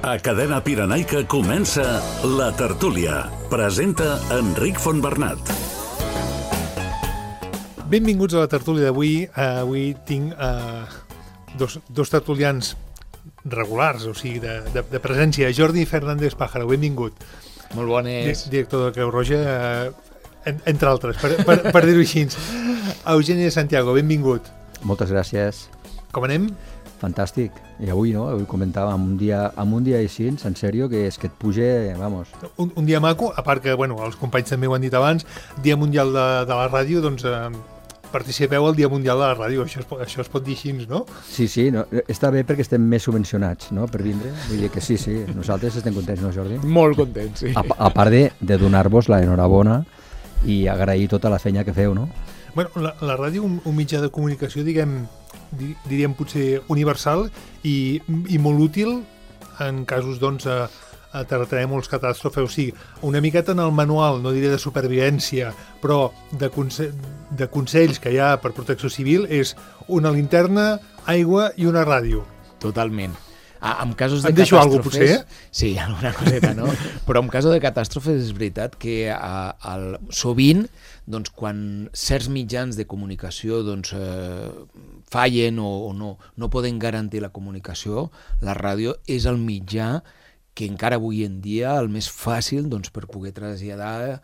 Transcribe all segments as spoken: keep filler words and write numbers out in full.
A Cadena Pirenaica comença La Tertúlia. Presenta Enric Fontbernat. Benvinguts a La Tertúlia d'avui. Uh, avui tinc uh, dos, dos tertulians regulars, o sigui, de, de, de presència. Jordi Fernández Pájaro, benvingut. Molt bones. Di director de Creu Roja, uh, en, entre altres, per, per, per dir-ho així. Eugeni de Santiago, benvingut. Moltes gràcies. Com anem? Fantàstic. I avui, no? Avui comentàvem un dia, amb un dia així, en sèrio, que és que et puja, vamos. Un, un dia maco, a part que, bueno, els companys també ho han dit abans, Dia Mundial de, de la Ràdio, doncs eh, participeu al Dia Mundial de la Ràdio, això es, això es pot dir així, no? Sí, sí, no? Està bé perquè estem més subvencionats, no?, per vindre. Vull dir que sí, sí, nosaltres estem contents, no, Jordi? Molt contents, sí. A, a part de, de donar-vos la enhorabona i agrair tota la feina que feu, no? Bueno, la, la ràdio, un, un mitjà de comunicació, diguem, diríem potser universal i, i molt útil en casos, doncs, a, a terratrèmols, catàstrofes, o sigui, una miqueta en el manual, no diré de supervivència, però de, conse de consells que hi ha per protecció civil és una linterna, aigua i una ràdio. Totalment. Ah, en casos de em deixo alguna cosa, potser? Sí, alguna coseta, no? Però en casos de catàstrofes és veritat que a, a, sovint, doncs, quan certs mitjans de comunicació doncs, eh, fallen o, o no, no poden garantir la comunicació, la ràdio és el mitjà que encara avui en dia el més fàcil doncs, per poder traslladar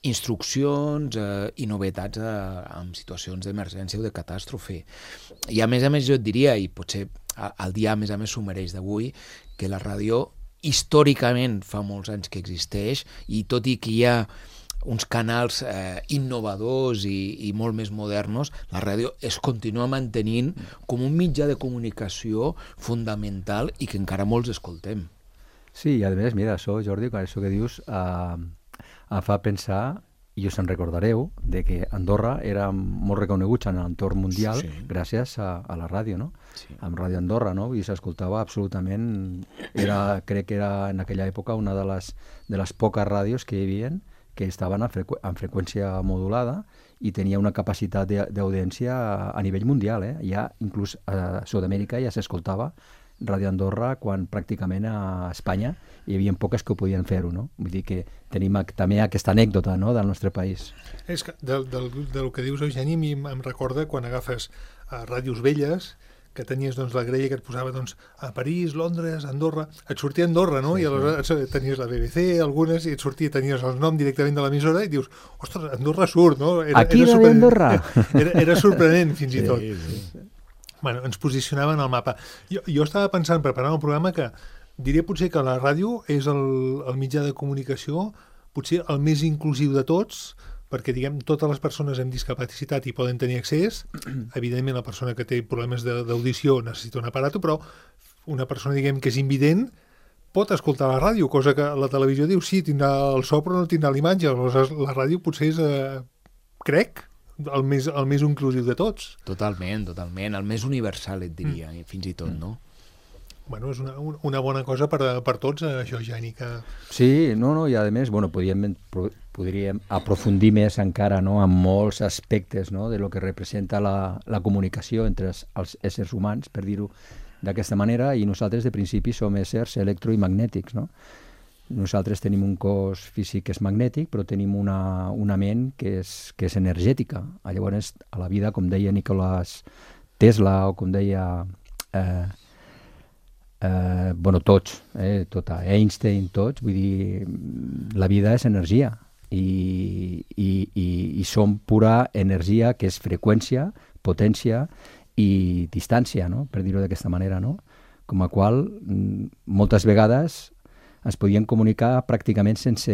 instruccions eh, i novetats eh, en situacions d'emergència o de catàstrofe. I a més a més jo et diria, i potser el dia a més a més s'ho mereix d'avui, que la ràdio històricament fa molts anys que existeix i tot i que hi ha uns canals eh, innovadors i, i molt més moderns, la ràdio es continua mantenint com un mitjà de comunicació fundamental i que encara molts escoltem. Sí, i a més, mira, això, Jordi, quan això que dius eh, em fa pensar, i us en recordareu, de que Andorra era molt reconeguts en l'entorn mundial, sí, gràcies a, a la ràdio, no? Sí. Amb Ràdio Andorra, no? I s'escoltava absolutament, era, crec que era en aquella època una de les, de les poques ràdios que hi havia que estaven en, frequ en freqüència modulada i tenia una capacitat d'audiència a, a nivell mundial, eh? Ja, inclús a Sud-amèrica ja s'escoltava Ràdio Andorra quan pràcticament a Espanya hi havia poques que ho podien fer-ho, no? Vull dir que tenim també aquesta anècdota, no?, del nostre país. És que del, del, del que dius, Eugeni, a mi em recorda quan agafes uh, ràdios velles, que tenies doncs, la grella que et posava doncs, a París, Londres, Andorra, et sortia Andorra, no? Sí, I aleshores tenies la B B C, algunes, i et sortia, tenies el nom directament de l'emissora i dius, ostres, Andorra surt, no? Era, Aquí era Ràdio Andorra! Era, era sorprenent, fins i tot. Sí, sí. Bueno, ens posicionaven al mapa. Jo, jo estava pensant, preparant el programa, que diria potser que la ràdio és el, el mitjà de comunicació potser el més inclusiu de tots, perquè, diguem, totes les persones amb discapacitat hi poden tenir accés. Evidentment, la persona que té problemes d'audició necessita un aparato, però una persona, diguem, que és invident pot escoltar la ràdio, cosa que la televisió diu, sí, tindrà el so, però no tindrà l'imatge. Aleshores, la ràdio potser és, eh, crec, el més, el més inclusiu de tots. Totalment, totalment. El més universal, et diria, mm. fins i tot, no? Bueno, és una, una bona cosa per, per tots, això, Jani, que... Sí, no, no, i a més, bueno, podríem, podríem aprofundir més encara, no?, en molts aspectes, no?, de lo que representa la, la comunicació entre els, els éssers humans, per dir-ho d'aquesta manera, i nosaltres de principi som éssers electro i magnètics, no? Nosaltres tenim un cos físic que és magnètic, però tenim una, una ment que és, que és energètica. Llavors, a la vida, com deia Nicolás Tesla, o com deia... Eh, eh, bueno, tots, eh, tota, Einstein, tots, vull dir, la vida és energia. I, i, i, i som pura energia, que és freqüència, potència i distància, no?, per dir-ho d'aquesta manera, no? Com a qual, moltes vegades es podien comunicar pràcticament sense,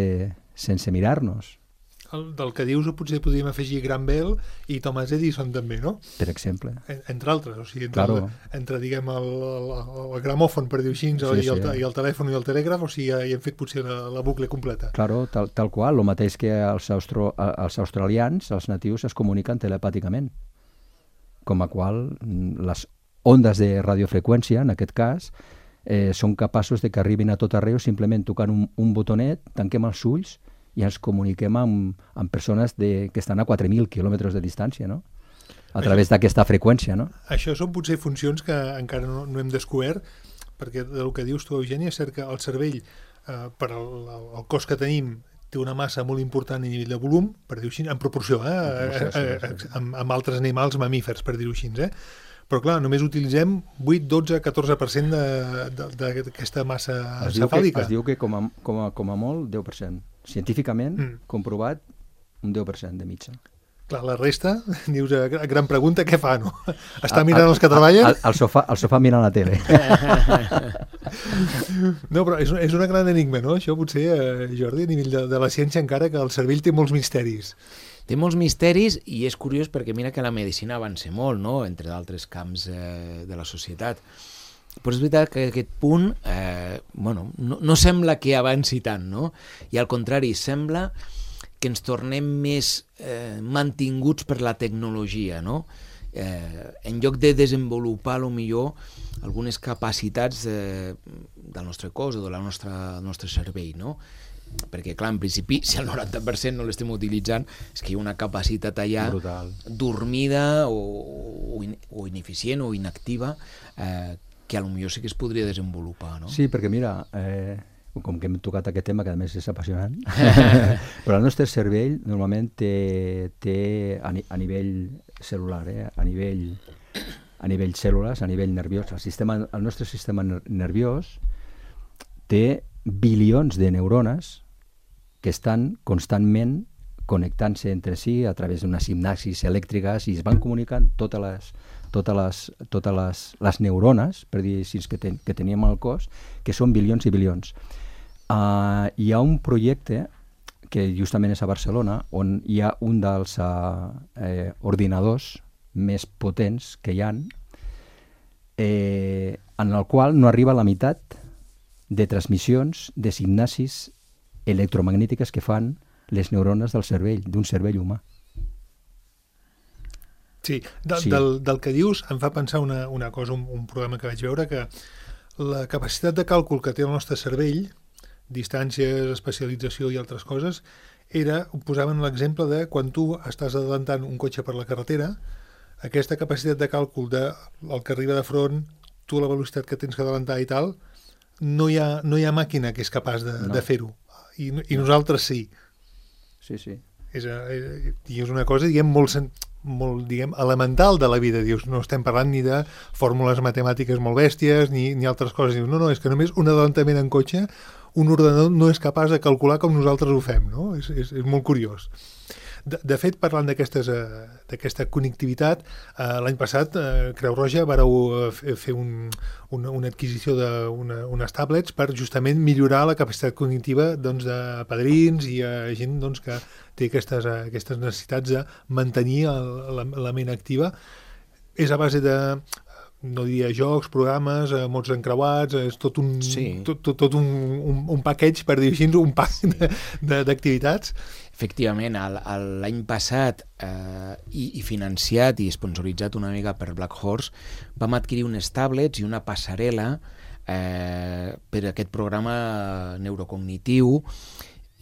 sense mirar-nos. El, del que dius potser podríem afegir Graham Bell i Thomas Edison també, no? Per exemple. En, entre altres, o sigui, entre, claro. el, entre diguem, el, el, el gramòfon, per dir-ho així, sí, i, el, sí. i el telèfon i el telègraf, o sigui, ja hi hem fet potser la, la bucle completa. Claro, tal, tal qual, el mateix que els, austro, els australians, els natius, es comuniquen telepàticament. Com a qual les ondes de radiofreqüència, en aquest cas, Eh, són capaços de que arribin a tot arreu simplement tocant un, un botonet, tanquem els ulls i ens comuniquem amb, amb persones de, que estan a quatre mil quilòmetres de distància, no? A través d'aquesta freqüència, no? Això són potser funcions que encara no, no hem descobert, perquè del que dius tu, Eugènia, és cert que el cervell, eh, per el, el cos que tenim, té una massa molt important a nivell de volum, per dir-ho així, en proporció, eh, En proporció, sí, a, a, sí. amb, amb altres animals mamífers, per dir-ho així, eh? Però clar, només utilitzem vuit, dotze, catorze per cent d'aquesta massa Es diu, que, encefàlica. es diu que com a, com a, com a molt deu per cent. Científicament, Mm. comprovat, un deu per cent de mitja. Clar, la resta, dius, eh, gran pregunta, què fa, no? Està mirant els que treballen? Al, al, sofà, al sofà mirant la tele. No, però és, és una gran enigma, no? Això potser, eh, Jordi, a nivell de, de la ciència, encara que el cervell té molts misteris. Té molts misteris i és curiós perquè mira que la medicina avança molt, no?, entre d'altres camps eh, de la societat. Però és veritat que aquest punt eh, bueno, no, no sembla que avanci tant, no? I al contrari, sembla que ens tornem més eh, mantinguts per la tecnologia, no? Eh, en lloc de desenvolupar, a lo millor, algunes capacitats de, del nostre cos o del nostre, nostre cervell, no? Perquè, clar, en principi, si el noranta per cent no l'estem utilitzant, és que hi ha una capacitat allà Brutal. dormida o, o, in, o ineficient o inactiva eh, que a lo millor sí que es podria desenvolupar, no? Sí, perquè mira, eh, com que hem tocat aquest tema, que a més és apassionant, però el nostre cervell normalment té, té a, ni, a nivell celular, eh, a nivell a nivell cèl·lules, a nivell nerviós, el, sistema, el nostre sistema nerviós té bilions de neurones que estan constantment connectant-se entre si a través d'unes sinapsis elèctriques i es van comunicant totes les, totes les, totes les, les neurones, per dir així, que, ten, que teníem al cos, que són bilions i bilions. Uh, hi ha un projecte que justament és a Barcelona on hi ha un dels uh, eh, ordinadors més potents que hi ha, eh, en el qual no arriba a la meitat de transmissions de sinapsis electromagnètiques que fan les neurones del cervell, d'un cervell humà. Sí, de, Sí. Del, del que dius em fa pensar una, una cosa, un, un programa que vaig veure, que la capacitat de càlcul que té el nostre cervell, distàncies, especialització i altres coses, era, posaven l'exemple de quan tu estàs adelantant un cotxe per la carretera, aquesta capacitat de càlcul de el que arriba de front, tu la velocitat que tens que adelantar i tal, no hi ha, no hi ha màquina que és capaç de, No. de fer-ho. I, I nosaltres sí. Sí, sí. És, eh, I és una cosa, diguem, molt, sen- molt diguem, elemental de la vida. Dius, no estem parlant ni de fórmules matemàtiques molt bèsties, ni, ni altres coses. Dius, no, no, és que només un adelantament en cotxe, un ordenador no és capaç de calcular com nosaltres ho fem, no? És, és, és molt curiós. De, de fet, parlant d'aquestes, eh, d'aquesta connectivitat, eh, l'any passat, eh, Creu Roja vareu eh, fer un, una, una adquisició d'unes tablets per justament millorar la capacitat cognitiva doncs, de padrins i eh, gent doncs, que té aquestes, eh, aquestes necessitats de mantenir el, la, la ment activa. És a base de, no diria jocs, programes, eh, mots encreuats, és tot un, Sí. tot, tot, tot un, un, un package, per dir així, un pack de- de- d'activitats. Efectivament, el- el- l'any passat eh, i, i financiat i sponsoritzat una mica per Black Horse, vam adquirir unes tablets i una passarel·la eh, per aquest programa neurocognitiu,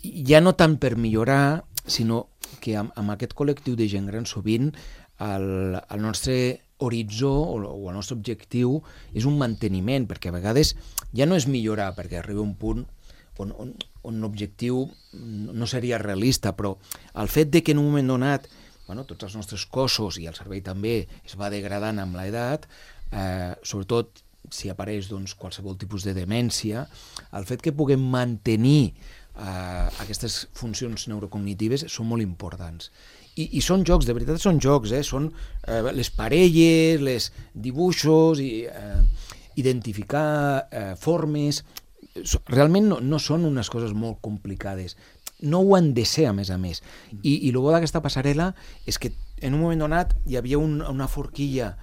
ja no tant per millorar, sinó que amb, amb aquest col·lectiu de gent gran sovint el, el nostre horitzó o, o el nostre objectiu és un manteniment, perquè a vegades ja no és millorar, perquè arriba un punt on, on, on l'objectiu no seria realista, però el fet de que en un moment donat bueno, tots els nostres cossos i el cervell també es va degradant amb l'edat, eh, sobretot si apareix doncs, qualsevol tipus de demència, el fet que puguem mantenir eh, aquestes funcions neurocognitives són molt importants. I, i són jocs, de veritat són jocs, eh? Són eh, les parelles, les dibuixos, i, eh, identificar eh, formes. Realment no, no són unes coses molt complicades. No ho han de ser, a més a més. I, i el bo d'aquesta passarel·la és que en un moment donat hi havia un, una forquilla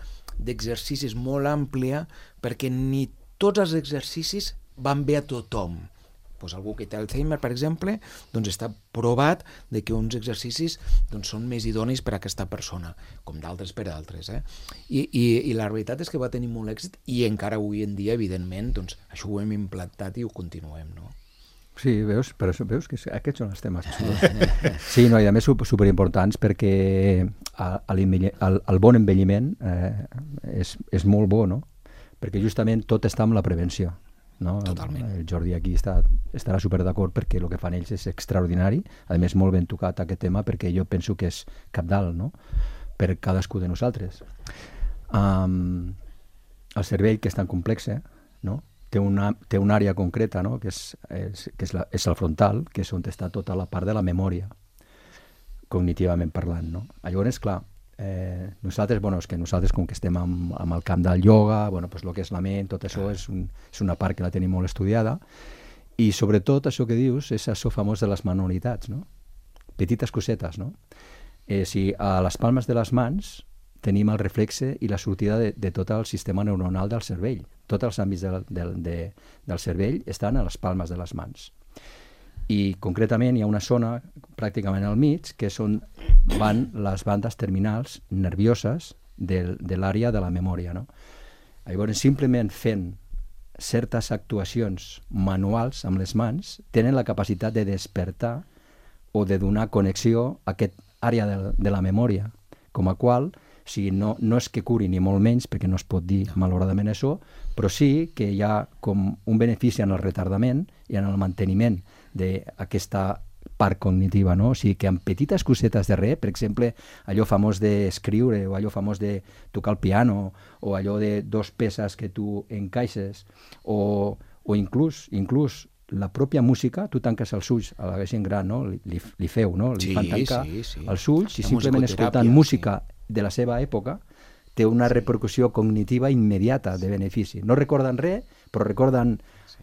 d'exercicis molt àmplia perquè ni tots els exercicis van bé a tothom. Pues algú que té Alzheimer, per exemple, doncs està provat de que uns exercicis doncs, són més idonis per a aquesta persona, com d'altres per a altres. Eh? I, i, I la veritat és que va tenir molt èxit i encara avui en dia, evidentment, doncs, això ho hem implantat i ho continuem, no? Sí, veus? Però veus que aquests són els temes. Sí, no, i a més superimportants perquè el, el bon envelliment eh, és, és molt bo, no? perquè justament tot està amb la prevenció. No? Totalment. El Jordi aquí està, estarà super d'acord perquè el que fan ells és extraordinari, a més molt ben tocat aquest tema perquè jo penso que és cabdal, no? Per cadascú de nosaltres. Um, el cervell, que és tan complex, eh? No? Té una, té una àrea concreta, no? que, és, és, que és, la, és el frontal, que és on està tota la part de la memòria, cognitivament parlant. No? Llavors, clar, eh, nosaltres, bueno, és que nosaltres com que estem amb, amb el camp del ioga, bueno, pues lo que és la ment, tot això és, un, és una part que la tenim molt estudiada, i sobretot això que dius és això famós de les manualitats, no? Petites cosetes, no? Eh, si a les palmes de les mans tenim el reflexe i la sortida de, de tot el sistema neuronal del cervell. Tots els àmbits del, del, de, del cervell estan a les palmes de les mans. I concretament hi ha una zona pràcticament al mig que és on van les bandes terminals nervioses de, de l'àrea de la memòria. No? Llavors, simplement fent certes actuacions manuals amb les mans tenen la capacitat de despertar o de donar connexió a aquest àrea de, de la memòria, com a qual o sigui, no, no és que curi ni molt menys, perquè no es pot dir malauradament això, però sí que hi ha com un benefici en el retardament i en el manteniment d'aquesta part cognitiva, no? O sigui, que amb petites cosetes de res, per exemple, allò famós d'escriure o allò famós de tocar el piano o allò de dos peces que tu encaixes o, o inclús, inclús la pròpia música, tu tanques els ulls a la gent gran, no? li, li feu, no? Li sí, fan tancar sí, sí. els ulls i la simplement escoltant sí. música de la seva època té una sí. repercussió cognitiva immediata de benefici. No recorden res, però recorden sí.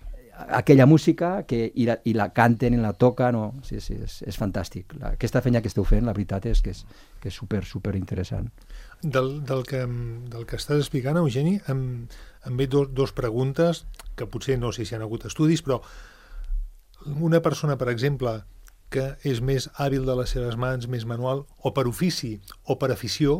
aquella música que, i, la, i la canten i la toquen. No? Sí, sí, és, és fantàstic. La, aquesta feina que esteu fent, la veritat és que és, que és super, super interessant. Del, del, que, del que estàs explicant, Eugeni, em, em ve dos, dos preguntes que potser no sé si han hagut estudis, però una persona, per exemple, que és més hàbil de les seves mans, més manual, o per ofici o per afició,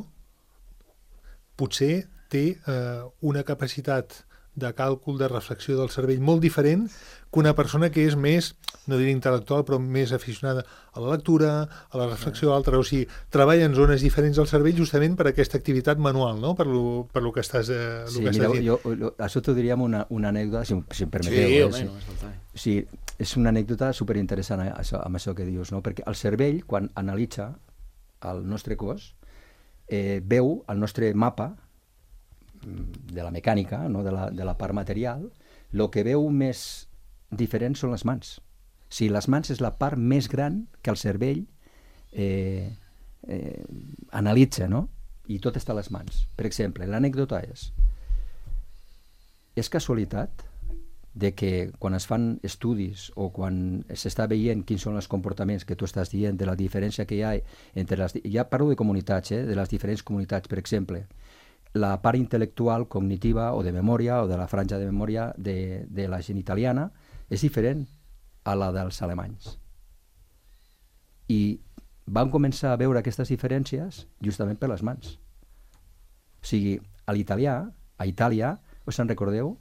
potser té eh, una capacitat de càlcul, de reflexió del cervell molt diferent que una persona que és més, no diré intel·lectual, però més aficionada a la lectura, a la reflexió altra. O sigui, treballa en zones diferents del cervell justament per aquesta activitat manual, no? Per lo, per lo que estàs, eh, lo sí, que mira, estàs dient. Jo, jo, això t'ho diríem una, una anècdota, si, si em permeteu. Sí, eh? home, no és faltar. Sí, és una anècdota superinteressant eh, això, amb això que dius, no? Perquè el cervell, quan analitza el nostre cos, eh, veu el nostre mapa de la mecànica, no? de, la, de la part material, el que veu més diferent són les mans. O sigui, les mans és la part més gran que el cervell eh, eh, analitza, no? I tot està a les mans. Per exemple, l'anècdota és és casualitat de que quan es fan estudis o quan s'està veient quins són els comportaments que tu estàs dient, de la diferència que hi ha entre les... Ja parlo de comunitats, eh? De les diferents comunitats, per exemple, la part intel·lectual, cognitiva o de memòria o de la franja de memòria de, de la gent italiana és diferent a la dels alemanys. I van començar a veure aquestes diferències justament per les mans. O sigui, a l'italià, a Itàlia, us en recordeu?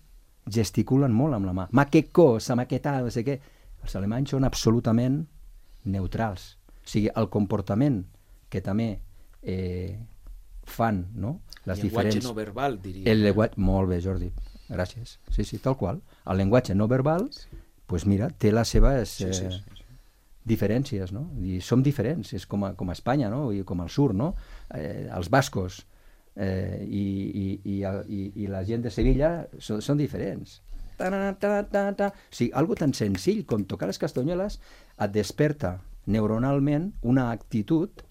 Gesticulen molt amb la mà. Ma que cosa, ma que tal, no sé què. Els alemanys són absolutament neutrals. O sigui, el comportament que també eh, fan, no? Les el llenguatge diferents... no verbal, diria. El llenguatge... Molt bé, Jordi. Gràcies. Sí, sí, tal qual. El llenguatge no verbal, sí. Pues mira, té les seves eh, sí, sí, sí, sí. diferències, no? I som diferents, és com a, com a Espanya, no? I com al sur, no? Eh, els bascos eh, i, i, i, i, i la gent de Sevilla són, són diferents. Ta -ta -ta -ta -ta. O sigui, algo tan senzill com tocar les castanyoles et desperta neuronalment una actitud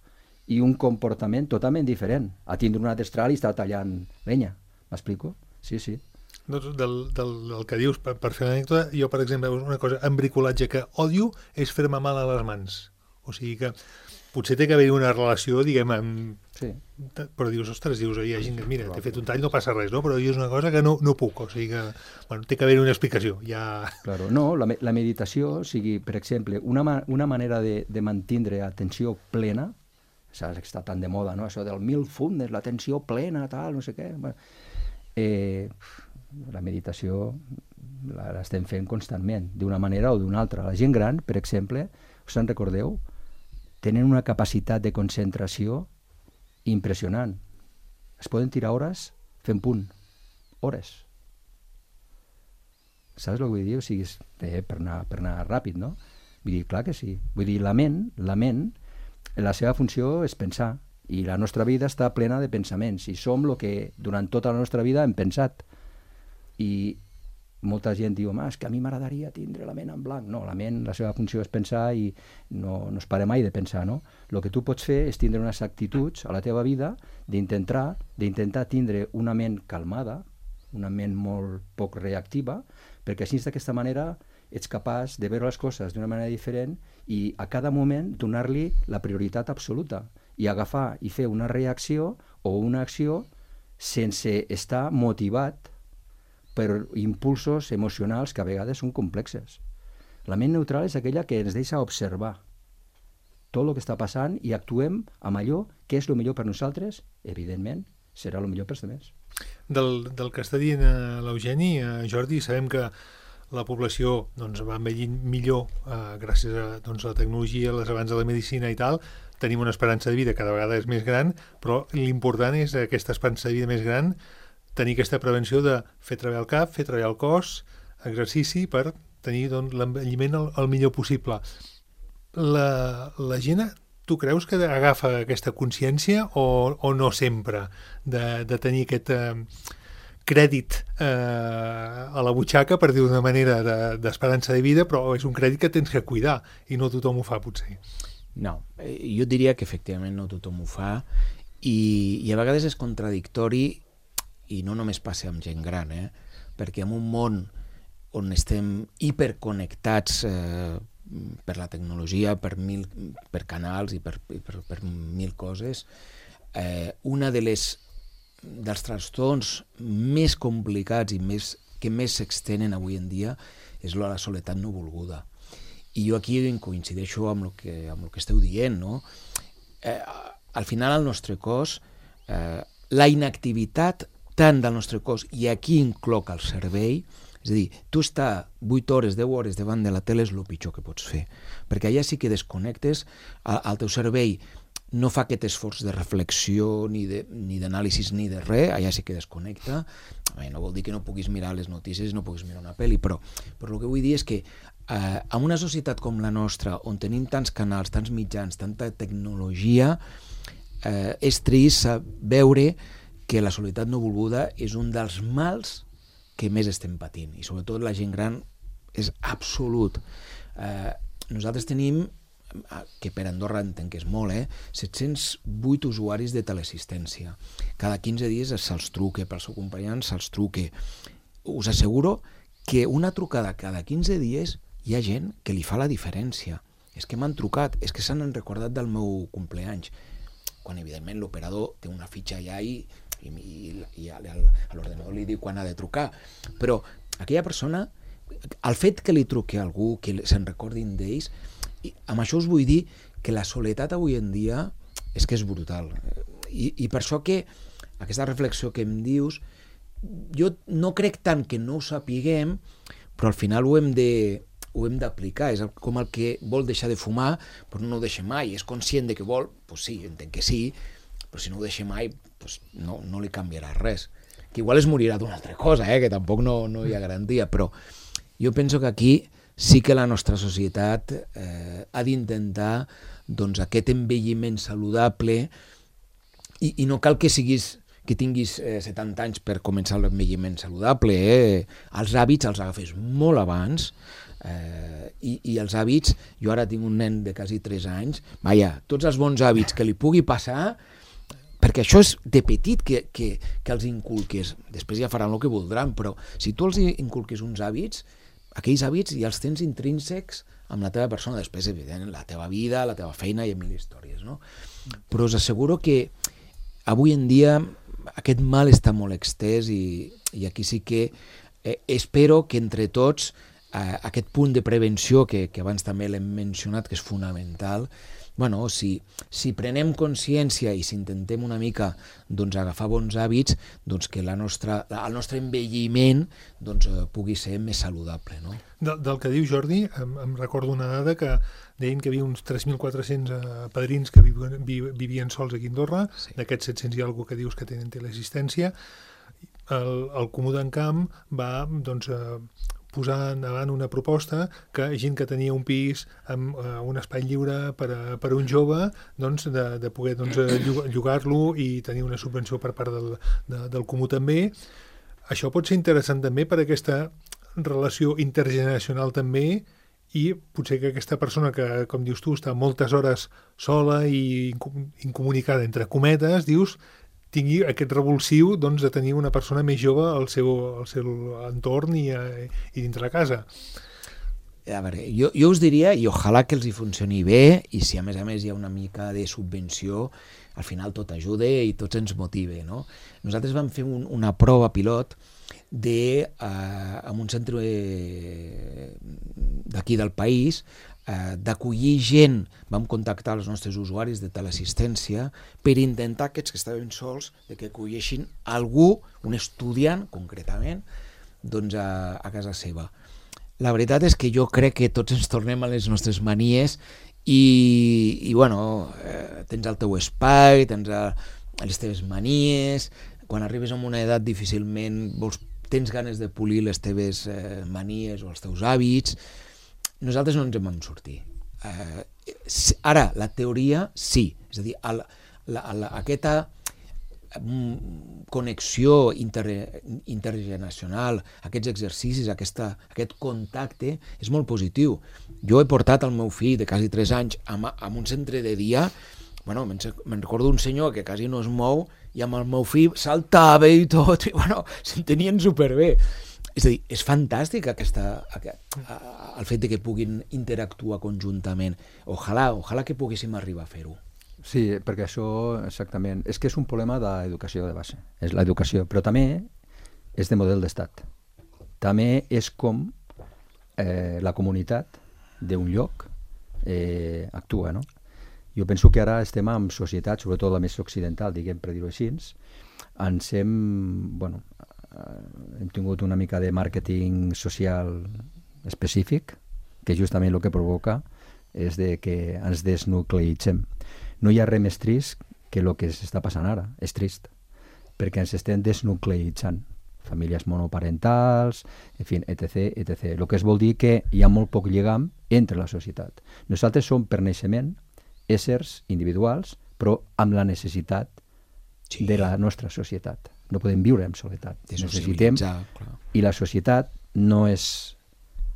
i un comportament totalment diferent a tindre una destral i estar tallant llenya. M'explico? Sí, sí. Doncs del, del, del que dius, per, per fer l'anècdota, jo, per exemple, una cosa, en bricolatge que odio és fer-me mal a les mans. O sigui que potser té que haver una relació, diguem, amb... Sí. Però dius, ostres, dius, hi ha gent que, mira, t'he fet un tall, no passa res, no? Però jo és una cosa que no, no puc, o sigui que, bueno, té que haver una explicació, ja... Claro, no, la, la meditació, o sigui, per exemple, una, ma una manera de, de mantindre atenció plena, saps que està tan de moda, no? Això del mindfulness, l'atenció plena, tal, no sé què... Bueno, eh, la meditació l'estem fent constantment, d'una manera o d'una altra. La gent gran, per exemple, us en recordeu? Tenen una capacitat de concentració impressionant. Es poden tirar hores fent punt. Hores. Saps el que vull dir? O sigui, és, eh, per, anar, per anar ràpid, no? Vull dir, clar que sí. Vull dir, la ment, la ment, la seva funció és pensar, i la nostra vida està plena de pensaments, i som el que durant tota la nostra vida hem pensat. I molta gent diu, home, és que a mi m'agradaria tindre la ment en blanc. No, la ment, la seva funció és pensar i no, no es para mai de pensar, no? El que tu pots fer és tindre unes actituds a la teva vida d'intentar d'intentar tindre una ment calmada, una ment molt poc reactiva, perquè així d'aquesta manera ets capaç de veure les coses d'una manera diferent i a cada moment donar-li la prioritat absoluta i agafar i fer una reacció o una acció sense estar motivat per impulsos emocionals que a vegades són complexes. La ment neutral és aquella que ens deixa observar tot el que està passant i actuem amb allò que és el millor per nosaltres, evidentment, serà el millor per als altres. Del, del que està dient eh, l'Eugeni, eh, Jordi, sabem que la població doncs, va envellint millor eh, gràcies a doncs, la tecnologia, les avanços de la medicina i tal. Tenim una esperança de vida cada vegada és més gran, però l'important és aquesta esperança de vida més gran, tenir aquesta prevenció de fer treballar el cap, fer treballar el cos, exercici per tenir doncs, l'envelliment el, el millor possible. La, la gent, tu creus que agafa aquesta consciència o, o no sempre de, de tenir aquest eh, crèdit eh, a la butxaca, per dir-ho d'una manera, d'esperança de, de vida, però és un crèdit que tens que cuidar i no tothom ho fa, potser. No, jo diria que efectivament no tothom ho fa i, i a vegades és contradictori i no només passa amb gent gran, eh? Perquè en un món on estem hiperconnectats eh, per la tecnologia, per, mil, per canals i per, per, per mil coses, eh, una de les dels trastorns més complicats i més, que més s'extenen avui en dia és la soledat no volguda. I jo aquí coincideixo amb el que, amb el que esteu dient, no? Eh, al final el nostre cos, eh, la inactivitat tant del nostre cos, i aquí incloc el cervell, és a dir, tu estar vuit hores, deu hores davant de la tele és el pitjor que pots fer, perquè allà sí que desconnectes, el teu cervell no fa aquest esforç de reflexió, ni d'anàlisi, ni, ni de res, allà sí que desconnecta. Bé, no vol dir que no puguis mirar les notícies, no puguis mirar una pel·li, però, però el que vull dir és que eh, en una societat com la nostra, on tenim tants canals, tants mitjans, tanta tecnologia, eh, és trist veure que la soledat no volguda és un dels mals que més estem patint, i sobretot la gent gran és absolut. Eh, nosaltres tenim, que per Andorra entenc que és molt, eh, set-cents vuit usuaris de teleassistència. Cada quinze dies se'ls truque, pel seu company se'ls truque. Us asseguro que una trucada cada quinze dies hi ha gent que li fa la diferència. És que m'han trucat, és que s'han recordat del meu compleanys. Quan evidentment l'operador té una fitxa allà i i, i, i a l'ordenador li diu quan ha de trucar, però aquella persona, el fet que li truqui a algú, que se'n recordin d'ells, amb això us vull dir que la soledat avui en dia és que és brutal, i, i per això que aquesta reflexió que em dius, jo no crec tant que no ho sapiguem, però al final ho hem de ho hem d'aplicar, és com el que vol deixar de fumar, però no ho deixa mai, és conscient de que vol, doncs sí, entenc que sí, però si no ho deixa mai, doncs no, no li canviarà res. Que igual es morirà d'una altra cosa, eh? Que tampoc no, no hi ha garantia, però jo penso que aquí sí que la nostra societat eh, ha d'intentar doncs, aquest envelliment saludable i, i no cal que siguis que tinguis eh, setanta anys per començar l'envelliment saludable, eh? Els hàbits els agafes molt abans, eh, i, i els hàbits, jo ara tinc un nen de quasi tres anys, vaja, tots els bons hàbits que li pugui passar, perquè això és de petit que, que, que els inculques, després ja faran el que voldran, però si tu els inculques uns hàbits, aquells hàbits ja els tens intrínsecs amb la teva persona, després, evidentment, la teva vida, la teva feina i mil històries, no? Però us asseguro que avui en dia aquest mal està molt extès i, i aquí sí que eh, espero que entre tots eh, aquest punt de prevenció que, que abans també l'hem mencionat, que és fonamental, bueno, si, si prenem consciència i si intentem una mica doncs, agafar bons hàbits, doncs que la nostra, el nostre envelliment doncs, pugui ser més saludable. No? Del, del que diu Jordi, em, em recordo una dada que deien que hi havia uns tres mil quatre-cents eh, padrins que vivien, vivien sols aquí a Andorra, sí. D'aquests set-cents hi ha algú que dius que tenen teleassistència. El, el Comú d'Encamp va doncs, eh, posar endavant una proposta que gent que tenia un pis amb uh, un espai lliure per a, per a un jove, doncs, de, de poder doncs, llogar-lo i tenir una subvenció per part del, de, del comú també. Això pot ser interessant també per aquesta relació intergeneracional també, i potser que aquesta persona que, com dius tu, està moltes hores sola i incomunicada, entre cometes, dius, tingui aquest revulsiu doncs, de tenir una persona més jove al seu, al seu entorn i, a, i dintre la casa. A veure, jo, jo us diria, i ojalà que els hi funcioni bé, i si a més a més hi ha una mica de subvenció, al final tot ajuda i tots ens motive, no? Nosaltres vam fer un, una prova pilot de, eh, en un centre d'aquí del país, eh, d'acollir gent. Vam contactar els nostres usuaris de teleassistència per intentar aquests que estaven sols de que acolleixin algú, un estudiant concretament, doncs a, a casa seva. La veritat és que jo crec que tots ens tornem a les nostres manies i, i bueno, eh, tens el teu espai, tens a, les teves manies, quan arribes a una edat difícilment vols, tens ganes de polir les teves eh, manies o els teus hàbits. Nosaltres no ens en vam sortir. Eh, ara, la teoria sí, és a dir, el, la, la, aquesta connexió inter, intergeneracional, aquests exercicis, aquesta, aquest contacte és molt positiu. Jo he portat el meu fill de quasi tres anys a, a un centre de dia. Bueno, me'n recordo un senyor que quasi no es mou i amb el meu fill saltava i tot, i bueno, s'entenien superbé. És a dir, és fantàstic aquesta, aquest, el fet de que puguin interactuar conjuntament. Ojalà, ojalà que poguéssim arribar a fer-ho. Sí, perquè això, exactament, és que és un problema d'educació de base, és l'educació, però també és de model d'estat. També és com eh, la comunitat d'un lloc eh, actua, no? Jo penso que ara estem en societat, sobretot la més occidental, diguem, per dir-ho així, ens hem, bueno, hem tingut una mica de màrqueting social específic, que justament el que provoca és de que ens desnucleitzem. No hi ha res més trist que el que s'està passant ara, és trist, perquè ens estem desnucleitzant. Famílies monoparentals, en fi, etc, etcètera. El que es vol dir que hi ha molt poc lligam entre la societat. Nosaltres som, per naixement, éssers individuals, però amb la necessitat sí. de la nostra societat. No podem viure en soledat. Necessitem, i la societat no és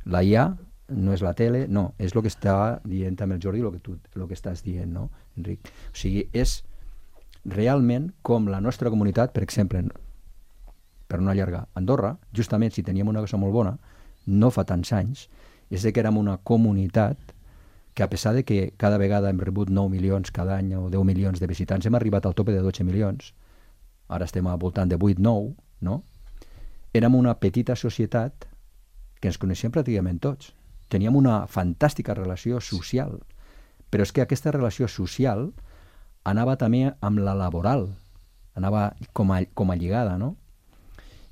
la I A, no és la tele, no, és el que està dient amb el Jordi, el que tu el que estàs dient, no, Enric? O sigui, és realment com la nostra comunitat, per exemple, per no allargar, Andorra, justament si teníem una cosa molt bona, no fa tants anys, és de que érem una comunitat que a pesar de que cada vegada hem rebut nou milions cada any o deu milions de visitants, hem arribat al tope de dotze milions, ara estem al voltant de vuit nou, no? Érem una petita societat que ens coneixíem pràcticament tots. Teníem una fantàstica relació social, però és que aquesta relació social anava també amb la laboral, anava com a, com a lligada, no?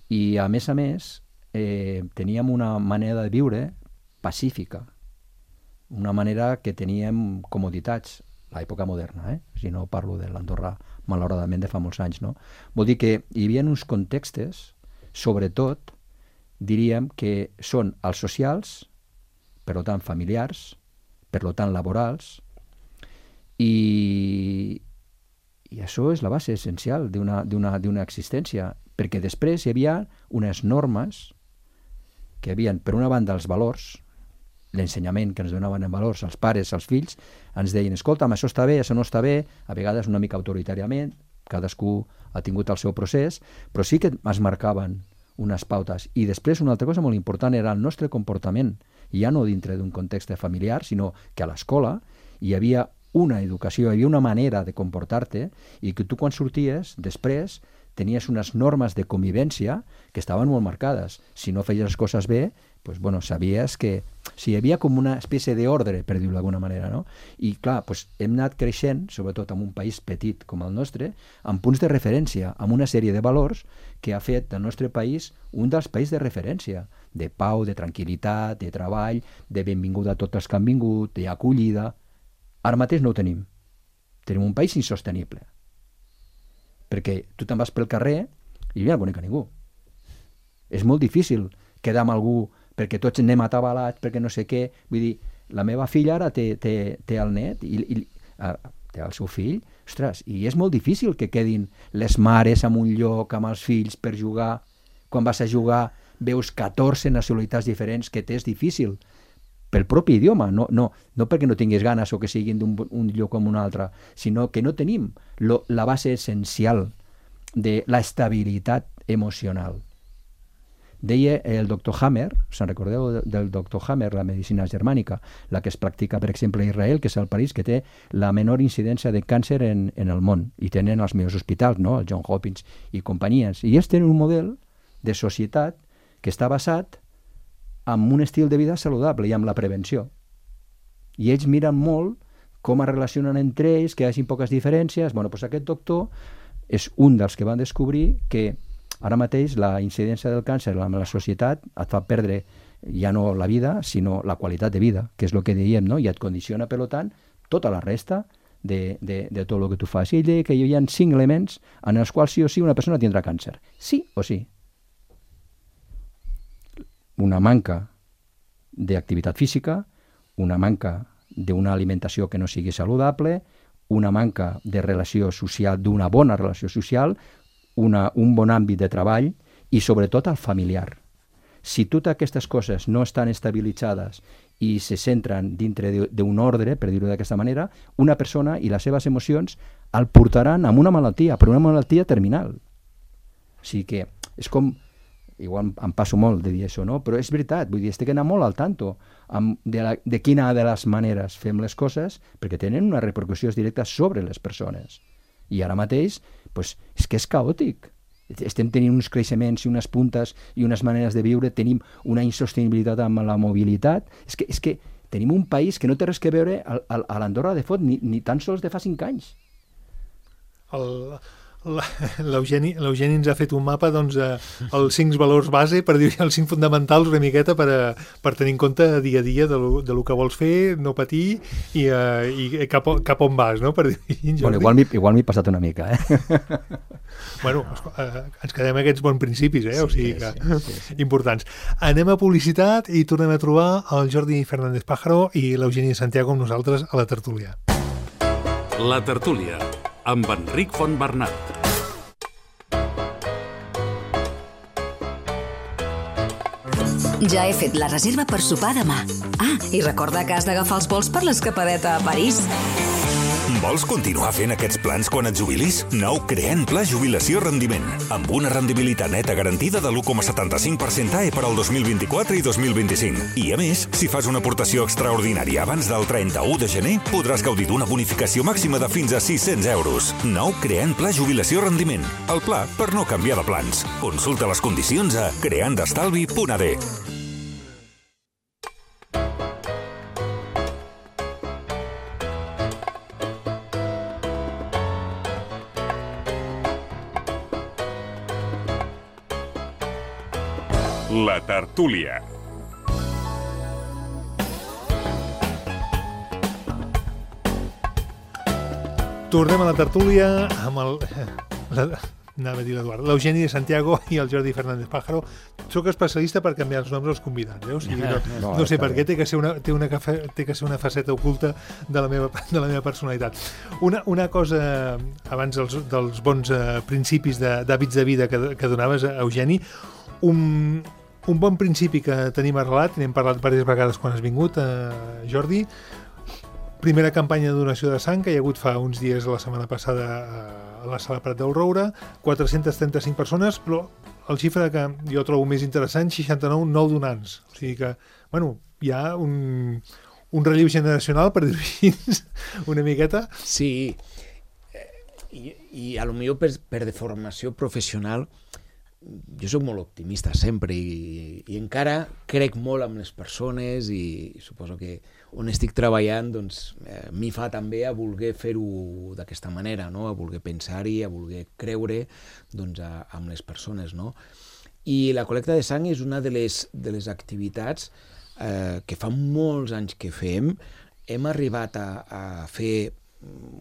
I a més a més eh, teníem una manera de viure pacífica, una manera que teníem comoditats, l'època moderna, eh? Si no parlo de l'Andorra, malauradament, de fa molts anys, no? Vol dir que hi havia uns contextos, sobretot, diríem que són els socials, per tant familiars, per tant laborals, i, i això és la base essencial d'una d'una d'una existència, perquè després hi havia unes normes que havien, per una banda, els valors, l'ensenyament que ens donaven en valors els pares, els fills, ens deien, escolta'm, això està bé, això no està bé, a vegades una mica autoritàriament, cadascú ha tingut el seu procés, però sí que es marcaven unes pautes. I després una altra cosa molt important era el nostre comportament, ja no dintre d'un context familiar, sinó que a l'escola hi havia una educació, hi havia una manera de comportar-te i que tu quan sorties, després, tenies unes normes de convivència que estaven molt marcades. Si no feies les coses bé, pues, bueno, sabies que si hi havia com una espècie d'ordre, per dir-ho d'alguna manera, no? I clar, pues, hem anat creixent, sobretot en un país petit com el nostre, amb punts de referència, amb una sèrie de valors que ha fet del nostre país un dels països de referència, de pau, de tranquil·litat, de treball, de benvinguda a tots els que han vingut, d'acollida. Ara mateix no ho tenim. Tenim un país insostenible. Perquè tu te'n vas pel carrer i ja no conec a ningú. És molt difícil quedar amb algú perquè tots anem atabalats, perquè no sé què. Vull dir, la meva filla ara té, té, té el net i, i uh, té el seu fill, ostres, i és molt difícil que quedin les mares en un lloc amb els fills per jugar. Quan vas a jugar veus catorze nacionalitats diferents, que t'és difícil pel propi idioma, no, no, no perquè no tinguis ganes o que siguin d'un un lloc com un altre, sinó que no tenim lo, la base essencial de la estabilitat emocional. Deia el doctor Hammer, se'n recordeu del doctor Hammer, la medicina germànica, la que es practica, per exemple, a Israel, que és el país que té la menor incidència de càncer en, en el món, i tenen els millors hospitals, no? El John Hopkins i companyies. I ells tenen un model de societat que està basat amb un estil de vida saludable i amb la prevenció. I ells miren molt com es relacionen entre ells, que hi hagi poques diferències. Bueno, doncs aquest doctor és un dels que van descobrir que ara mateix la incidència del càncer en la societat et fa perdre ja no la vida, sinó la qualitat de vida, que és el que dèiem, no? I et condiciona, per tant, tota la resta de, de, de tot el que tu fas. I ell deia que hi havia cinc elements en els quals sí o sí una persona tindrà càncer. Sí o sí. Una manca d'activitat física, una manca d'una alimentació que no sigui saludable, una manca de relació social, d'una bona relació social, una, un bon àmbit de treball i sobretot el familiar. Si totes aquestes coses no estan estabilitzades i se centren dintre d'un ordre, per dir-ho d'aquesta manera, una persona i les seves emocions el portaran a una malaltia, però una malaltia terminal. O sigui que és com... Igual em passo molt de dir això, no? Però és veritat, vull dir, estic anant molt al tanto amb de, la, de quina de les maneres fem les coses, perquè tenen unes repercussions directes sobre les persones. I ara mateix, pues, és que és caòtic. Estem tenint uns creixements i unes puntes i unes maneres de viure, tenim una insostenibilitat amb la mobilitat. És que, és que tenim un país que no té res que veure a, a, a l'Andorra de Fot, ni, ni tan sols de fa cinc anys. El... L'Eugeni ens ha fet un mapa, doncs, eh, els cinc valors base, per dir els cinc fonamentals una miqueta per, a, per tenir en compte dia a dia de lo, de lo que vols fer, no patir i, eh, i cap, cap on vas, no? Per dir, bueno, igual m'he passat una mica, eh? Bueno, eh, ens quedem amb aquests bons principis, eh? O sigui que, sí, sí, sí. Importants. Anem a publicitat i tornem a trobar el Jordi Fernández Pájaro i l'Eugeni Santiago amb nosaltres a la tertúlia. La tertúlia, amb Enric Fontbernat. Ja he fet la reserva per sopar demà. Ah, i recorda que has d'agafar els vols per l'escapadeta a París. Vols continuar fent aquests plans quan et jubilis? Nou Creant Pla Jubilació Rendiment, amb una rendibilitat neta garantida de l'u coma setanta-cinc per cent A E per al dos mil vint-i-quatre i dos mil vint-i-cinc. I a més, si fas una aportació extraordinària abans del trenta-u de gener, podràs gaudir d'una bonificació màxima de fins a sis-cents euros. Nou Creant Pla Jubilació Rendiment, el pla per no canviar de plans. Consulta les condicions a creandestalvi punt a d. La tertúlia. Tornem a la tertúlia amb el... La, anava a dir l'Eduard, l'Eugeni de Santiago i el Jordi Fernández Pájaro. Soc especialista per canviar els noms als convidats, eh? O sigui, no, no, no sé per què, té que ser una, té una, té que ser una faceta oculta de la meva, de la meva personalitat. Una, una cosa, abans dels, dels bons uh, principis d'hàbits de, de vida que, que donaves, Eugeni, un... Un bon principi que tenim arrelat, n'hem parlat diverses vegades quan has vingut, eh, Jordi. Primera campanya de donació de sang que hi ha hagut fa uns dies la setmana passada a la Sala Prat del Roure, quatre-centes trenta-cinc persones, però el xifra que jo trobo més interessant, seixanta-nou nou donants. O sigui que, bueno, hi ha un, un relleu generacional, per dir-ho així, una miqueta. Sí, i, i a lo millor per, per deformació professional jo soc molt optimista sempre i, i encara crec molt en les persones i, i suposo que on estic treballant doncs, eh, m'hi fa també a voler fer-ho d'aquesta manera, no? A voler pensar-hi, a voler creure doncs, a, amb les persones. No? I la col·lecta de sang és una de les, de les activitats eh, que fa molts anys que fem. Hem arribat a, a fer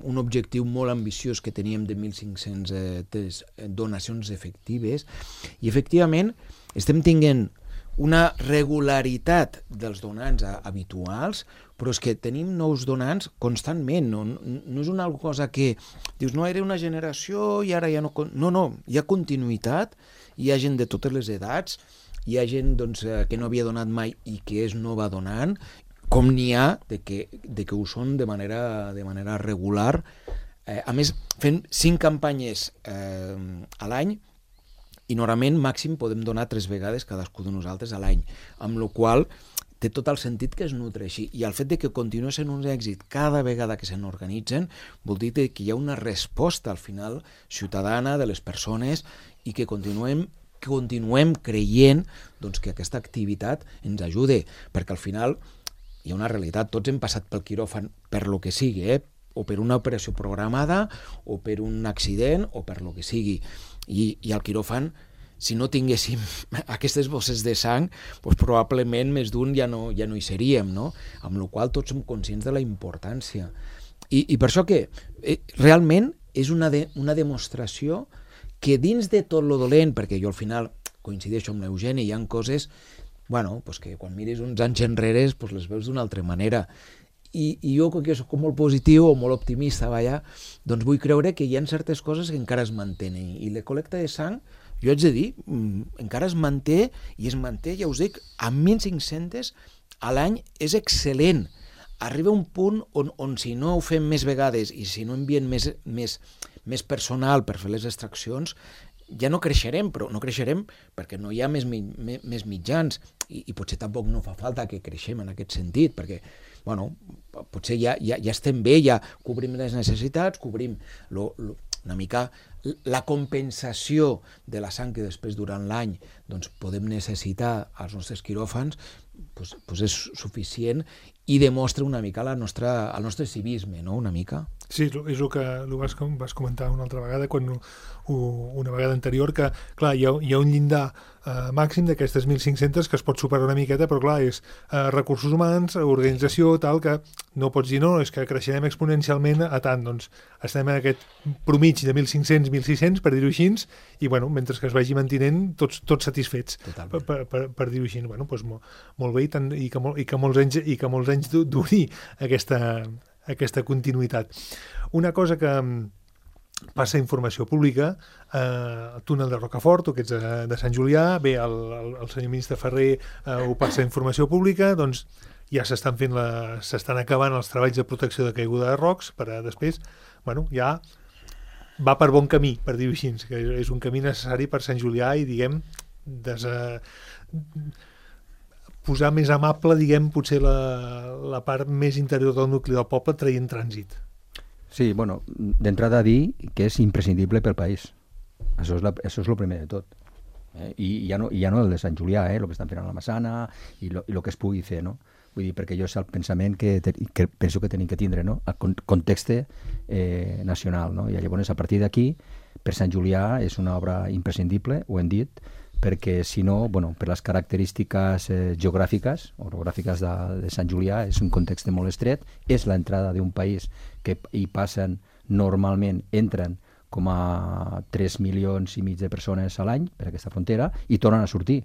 un objectiu molt ambiciós que teníem de mil cinc-cents eh, donacions efectives i efectivament estem tinguent una regularitat dels donants habituals, però és que tenim nous donants constantment, no, no és una cosa que dius, no, era una generació i ara ja no... No, no, hi ha continuïtat, hi ha gent de totes les edats, hi ha gent doncs, que no havia donat mai i que és nova donant, com n'hi ha de que, de que ho són de manera, de manera regular. Eh, a més, fent cinc campanyes eh, a l'any, i normalment màxim podem donar tres vegades cadascú de nosaltres a l'any, amb la qual té tot el sentit que es nutreixi. I el fet de que continua sent un èxit cada vegada que se n'organitzen vol dir que hi ha una resposta al final ciutadana de les persones i que continuem continuem creient doncs, que aquesta activitat ens ajude, perquè al final hi ha una realitat, tots hem passat pel quiròfan per lo que sigui, eh? O per una operació programada, o per un accident, o per lo que sigui. I, i al quiròfan, si no tinguéssim aquestes bosses de sang, doncs probablement més d'un ja no, ja no hi seríem, no? Amb la qual tots som conscients de la importància. I, i per això que eh, realment és una, de, una demostració que dins de tot lo dolent, perquè jo al final coincideixo amb l'Eugeni, hi ha coses bueno, pues que quan mires uns anys enrere pues les veus d'una altra manera. I, i jo, que soc molt positiu o molt optimista, vaja, doncs vull creure que hi ha certes coses que encara es mantenen. I la col·lecta de sang, jo haig de dir, encara es manté, i es manté, ja us dic, a mil cinc-cents a l'any és excel·lent. Arriba un punt on, on si no ho fem més vegades i si no enviem més, més, més personal per fer les extraccions, ja no creixerem, però no creixerem perquè no hi ha més, més, més mitjans i, i potser tampoc no fa falta que creixem en aquest sentit, perquè bueno, potser ja, ja, ja estem bé, ja cobrim les necessitats, cobrim lo, lo, una mica la compensació de la sang que després durant l'any doncs, podem necessitar als nostres quiròfans, doncs, doncs és suficient i demostra una mica la nostra, el nostre civisme, no? Una mica. Sí, és el que el vas, vas comentar una altra vegada, quan una vegada anterior, que clar, hi ha, hi ha un llindar eh, màxim d'aquestes mil cinc-cents que es pot superar una miqueta, però clar, és eh, recursos humans, organització, tal, que no pots dir no, és que creixerem exponencialment a tant, doncs estem en aquest promig de mil cinc-cents a mil sis-cents, per dir-ho així, i bueno, mentre que es vagi mantenint tots, tots satisfets, per, per, per, per dir-ho així. Bueno, doncs molt, molt bé, i, tant, i, que, molt, i, que molts anys, i que molts anys duri aquesta, aquesta continuïtat. Una cosa que passa informació pública, eh, el túnel de Rocafort, tu que ets de, de Sant Julià, bé, el, el, el senyor ministre Ferrer eh, ho passa informació pública, doncs ja s'estan fent la, s'estan acabant els treballs de protecció de caiguda de rocs, per a després, bueno, ja va per bon camí, per dir-ho així, que és un camí necessari per Sant Julià i, diguem, des, eh, posar més amable, diguem, potser la, la part més interior del nucli del poble traient trànsit. Sí, bueno, d'entrada dir que és imprescindible pel país. Això és, la, això és el primer de tot. Eh? I ja no, ja no el de Sant Julià, eh? El que estan fent a la Massana i el que es pugui fer, no? Vull dir, perquè jo és el pensament que, te, que penso que tenim que tindre, no? El context eh, nacional, no? I llavors, a partir d'aquí, per Sant Julià és una obra imprescindible, ho hem dit, perquè si no, bueno, per les característiques eh, geogràfiques, orogràfiques de, de Sant Julià, és un context molt estret, és l'entrada d'un país que hi passen normalment, entren com a tres milions i mig de persones a l'any per aquesta frontera i tornen a sortir.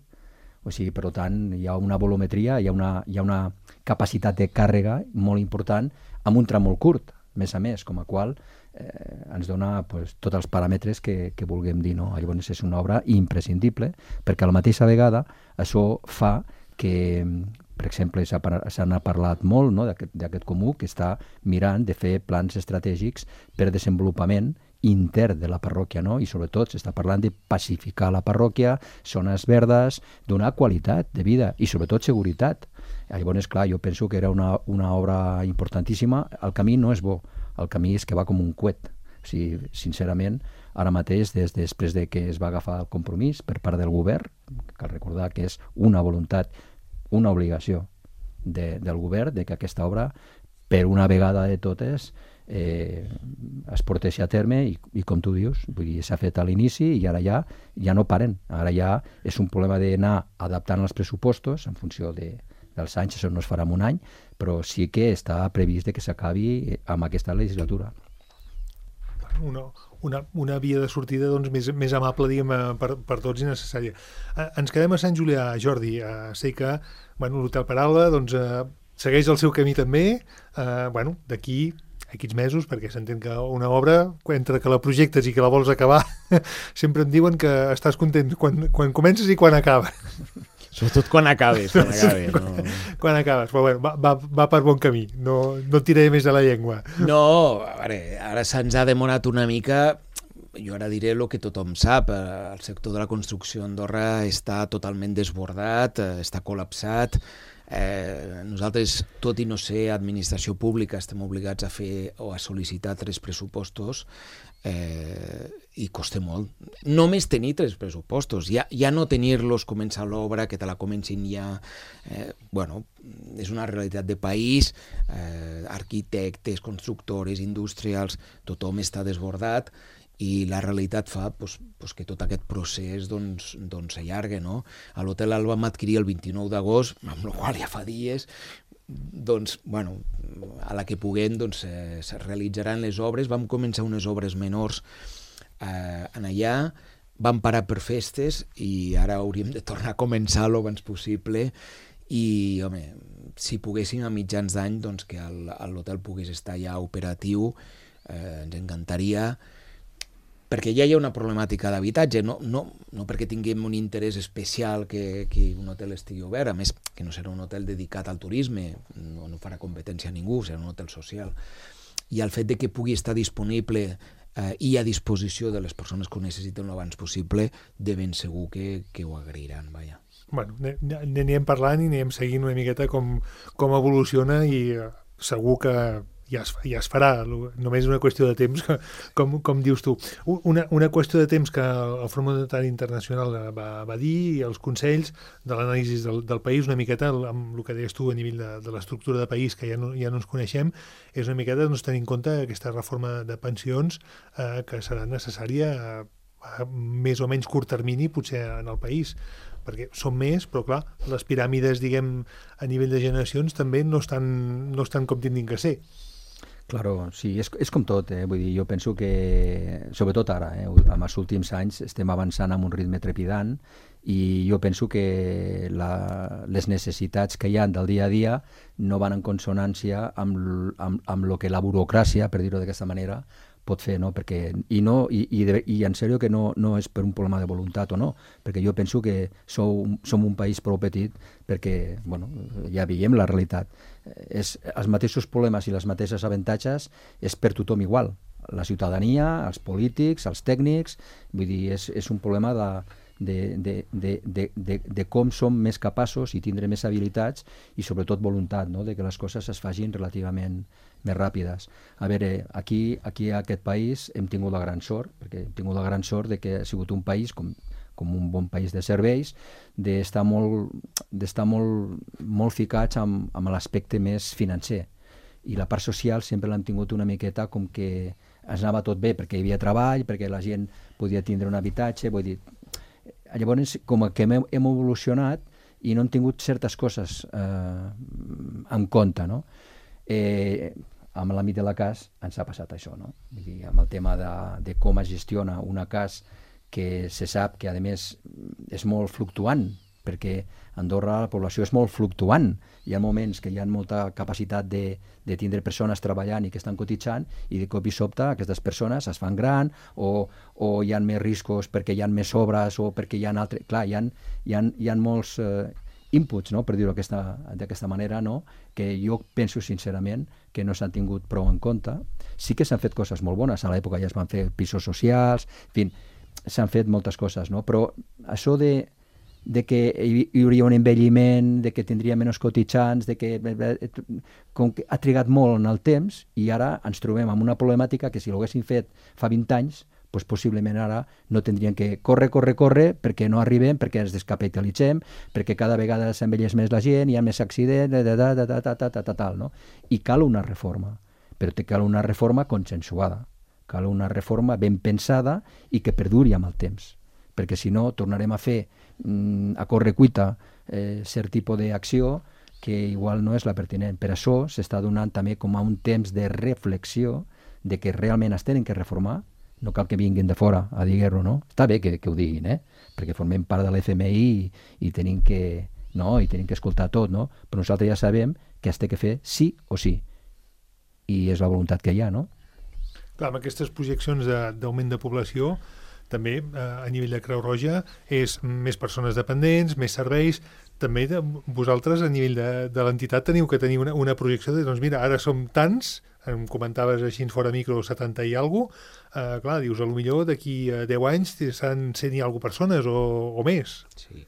O sigui, per tant, hi ha una volumetria, hi ha una, hi ha una capacitat de càrrega molt important amb un tram molt curt, més a més, com a qual eh, ens dona pues, tots els paràmetres que, que vulguem dir. No? Llavors és una obra imprescindible perquè a la mateixa vegada això fa que, per exemple, s'ha se n'ha parlat molt, no? d'aquest comú que està mirant de fer plans estratègics per desenvolupament intern de la parròquia, no? I sobretot s'està parlant de pacificar la parròquia, zones verdes, donar qualitat de vida i sobretot seguretat. Llavors, clar, jo penso que era una, una obra importantíssima. El camí no és bo, el camí és que va com un coet. O sigui, sincerament, ara mateix, des després de que es va agafar el compromís per part del govern, cal recordar que és una voluntat, una obligació de, del govern de que aquesta obra, per una vegada de totes, eh, es porteixi a terme i, i com tu dius, vull dir, s'ha fet a l'inici i ara ja, ja no paren. Ara ja és un problema d'anar adaptant els pressupostos en funció de, dels anys, això no es farà en un any, però sí que està previst que s'acabi amb aquesta legislatura. una, una, una via de sortida doncs, més, més amable, diguem, per, per tots i necessària. Eh, ens quedem a Sant Julià, Jordi. Eh, sé que bueno, l'Hotel Paraula doncs, eh, segueix el seu camí també. Eh, bueno, d'aquí aquests mesos, perquè s'entén que una obra, entre que la projectes i que la vols acabar, sempre em diuen que estàs content quan, quan comences i quan acabes. Sobretot quan acabes. Quan acabes, quan, no? quan acabes. Però bueno, va, va, va per bon camí. No, no et tiraré més de la llengua. No, a veure, ara se'ns ha demorat una mica. Jo ara diré el que tothom sap. El sector de la construcció a Andorra està totalment desbordat, està col·lapsat. Eh, nosaltres, tot i no ser administració pública, estem obligats a fer o a sol·licitar tres pressupostos eh, i costa molt. Només tenir tres pressupostos, ja, ja no tenir-los, començar l'obra, que te la comencin ja... Eh, bueno, és una realitat de país, eh, arquitectes, constructores, industrials, tothom està desbordat, i la realitat fa pues, pues, que tot aquest procés doncs, doncs s'allarga, no? A l'Hotel Alba vam adquirir el vint-i-nou d'agost, amb la qual ja fa dies, doncs, bueno, a la que puguem doncs, eh, se realitzaran les obres. Vam començar unes obres menors eh, en allà, vam parar per festes i ara hauríem de tornar a començar l'abans possible i, home, si poguéssim a mitjans d'any doncs, que l'hotel pogués estar ja operatiu, eh, ens encantaria, perquè ja hi ha una problemàtica d'habitatge, no, no, no perquè tinguem un interès especial que, que un hotel estigui obert, a més que no serà un hotel dedicat al turisme, no, no farà competència a ningú, serà un hotel social, i el fet de que pugui estar disponible eh, i a disposició de les persones que ho necessiten l'abans possible, de ben segur que, que ho agrairan, vaja. Bueno, n'anem parlant i anem seguint una miqueta com, com evoluciona i eh, segur que ja es, ja es farà, només una qüestió de temps, com, com dius tu. Una, una qüestió de temps que el Fòrum Monetari Internacional va, va dir, i els consells de l'anàlisi del, del país, una miqueta amb el que deies tu a nivell de, de l'estructura de país, que ja no, ja no ens coneixem, és una miqueta doncs, tenir en compte aquesta reforma de pensions eh, que serà necessària a, a més o menys curt termini, potser en el país, perquè són més, però clar, les piràmides, diguem, a nivell de generacions també no estan, no estan com tindrin que ser. Claro, sí, és, és com tot, eh? Vull dir, jo penso que, sobretot ara, eh? en els últims anys estem avançant amb un ritme trepidant i jo penso que la, les necessitats que hi ha del dia a dia no van en consonància amb, amb, amb lo que la burocràcia, per dir-ho d'aquesta manera, pot fer, no? Perquè, i, no, i, i, de, i en sèrio que no, no és per un problema de voluntat o no, perquè jo penso que sou, som un país prou petit perquè, bueno, ja veiem la realitat. És, els mateixos problemes i les mateixes avantatges és per tothom igual. La ciutadania, els polítics, els tècnics, vull dir, és, és un problema de, de, de, de, de, de, de com som més capaços i tindre més habilitats i sobretot voluntat, no? De que les coses es facin relativament més ràpides. A veure, aquí, aquí a aquest país hem tingut la gran sort, perquè hem tingut la gran sort de que ha sigut un país com, com un bon país de serveis, d'estar molt, d'estar molt, molt ficats amb, amb l'aspecte més financer. I la part social sempre l'hem tingut una miqueta com que ens anava tot bé, perquè hi havia treball, perquè la gent podia tindre un habitatge, vull dir... Llavors, com que hem, hem evolucionat i no hem tingut certes coses eh, en compte, no? Eh, amb l'àmbit de la cas ens ha passat això, no? Vull dir, amb el tema de, de com es gestiona una cas que se sap que a més és molt fluctuant, perquè a Andorra la població és molt fluctuant. Hi ha moments que hi ha molta capacitat de, de tindre persones treballant i que estan cotitzant i de cop i sobte aquestes persones es fan gran o, o hi ha més riscos perquè hi ha més obres o perquè hi ha altres... Clar, hi ha, hi ha, hi ha molts eh, inputs, no? Per dir-ho d'aquesta manera, no? Que jo penso sincerament que no s'han tingut prou en compte. Sí que s'han fet coses molt bones, a l'època ja es van fer pisos socials, en fi, s'han fet moltes coses, no? Però això de, de que hi hauria un envelliment, de que tindria menys cotitzants, de que, com que ha trigat molt en el temps i ara ens trobem amb una problemàtica que si l'haguessin fet fa vint anys, doncs possiblement ara no tindrien que córrer, córrer, córrer, perquè no arribem, perquè ens descapitalitzem, perquè cada vegada s'envelleix més la gent, hi ha més accidents, da, da, da, da, da, da, da, tal, no? I cal una reforma, però cal una reforma consensuada, cal una reforma ben pensada i que perduri amb el temps, perquè si no tornarem a fer mm, a correcuita eh, cert tipus d'acció que igual no és la pertinent. Per això s'està donant també com a un temps de reflexió de que realment es tenen que reformar, no cal que vinguin de fora a dir-ho, no? Està bé que, que ho diguin, eh? Perquè formem part de l'F M I i, i tenim que, no? I tenim que escoltar tot, no? Però nosaltres ja sabem que es té que fer sí o sí. I és la voluntat que hi ha, no? Clar, amb aquestes projeccions d'augment de, de població, també eh, a nivell de Creu Roja és més persones dependents, més serveis. També de, vosaltres a nivell de, de l'entitat teniu que tenir una, una projecció de, doncs mira, ara som tants, em comentaves així fora micro setanta i alguna cosa, eh, clar, dius, a lo millor d'aquí a deu anys seran cent i alguna persones o, o més. Sí.